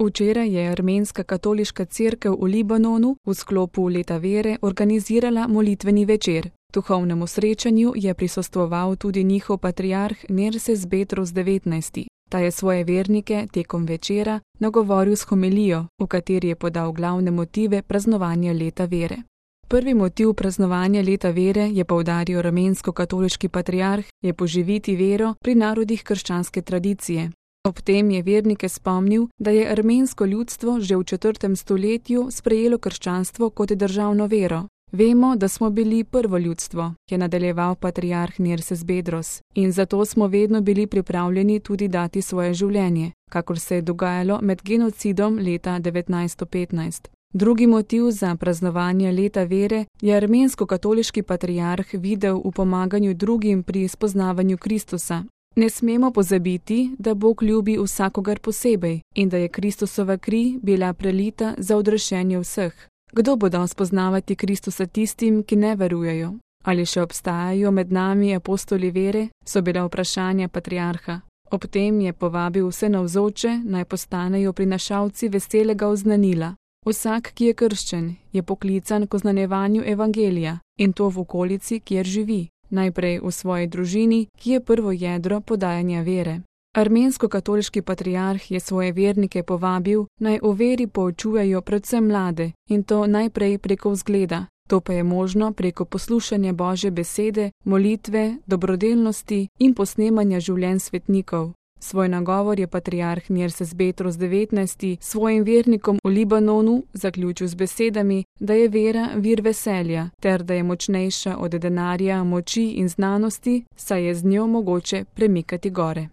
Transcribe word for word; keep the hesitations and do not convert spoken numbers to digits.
Včeraj je armenska katoliška cerkev v Libanonu v sklopu Leta vere organizirala molitveni večer. Duhovnemu srečanju je prisostvoval tudi njihov patriarh Nerses Bedros devetnajsti. Ta je svoje vernike tekom večera nagovoril s homilijo, v kateri je podal glavne motive praznovanja Leta vere. Prvi motiv praznovanja Leta vere, je poudaril armensko-katoliški patriarh, je poživiti vero pri narodih krščanske tradicije. Ob tem je vernike spomnil, da je armensko ljudstvo že v četrtem stoletju sprejelo krščanstvo kot državno vero. Vemo, da smo bili prvo ljudstvo, je nadaljeval patriarh Nerses Bedros, in zato smo vedno bili pripravljeni tudi dati svoje življenje, kakor se je dogajalo med genocidom leta devetnajststo petnajst. Drugi motiv za praznovanje Leta vere je armensko-katoliški patriarh videl v pomaganju drugim pri spoznavanju Kristusa. Ne smemo pozabiti, da Bog ljubi vsakogar posebej in da je Kristusova kri bila prelita za odrešenje vseh. Kdo bo dal spoznavati Kristusa tistim, ki ne verujejo? Ali še obstajajo med nami apostoli vere? So bila vprašanja patriarha. Ob tem je povabil vse navzoče, naj postanejo prinašalci veselega oznanila. Vsak, ki je krščen, je poklican k oznanjevanju evangelija, in to v okolici, kjer živi. Najprej v svoji družini, ki je prvo jedro podajanja vere. Armensko-katoliški patriarh je svoje vernike povabil, naj o veri poučujejo predvsem mlade, in to najprej preko vzgleda. To pa je možno preko poslušanja Božje besede, molitve, dobrodelnosti in posnemanja življenj svetnikov. Svoj nagovor je patriarh Nerses Bedros devetnajsti svojim vernikom v Libanonu zaključil z besedami, da je vera vir veselja, ter da je močnejša od denarja, moči in znanosti, saj je z njo mogoče premikati gore.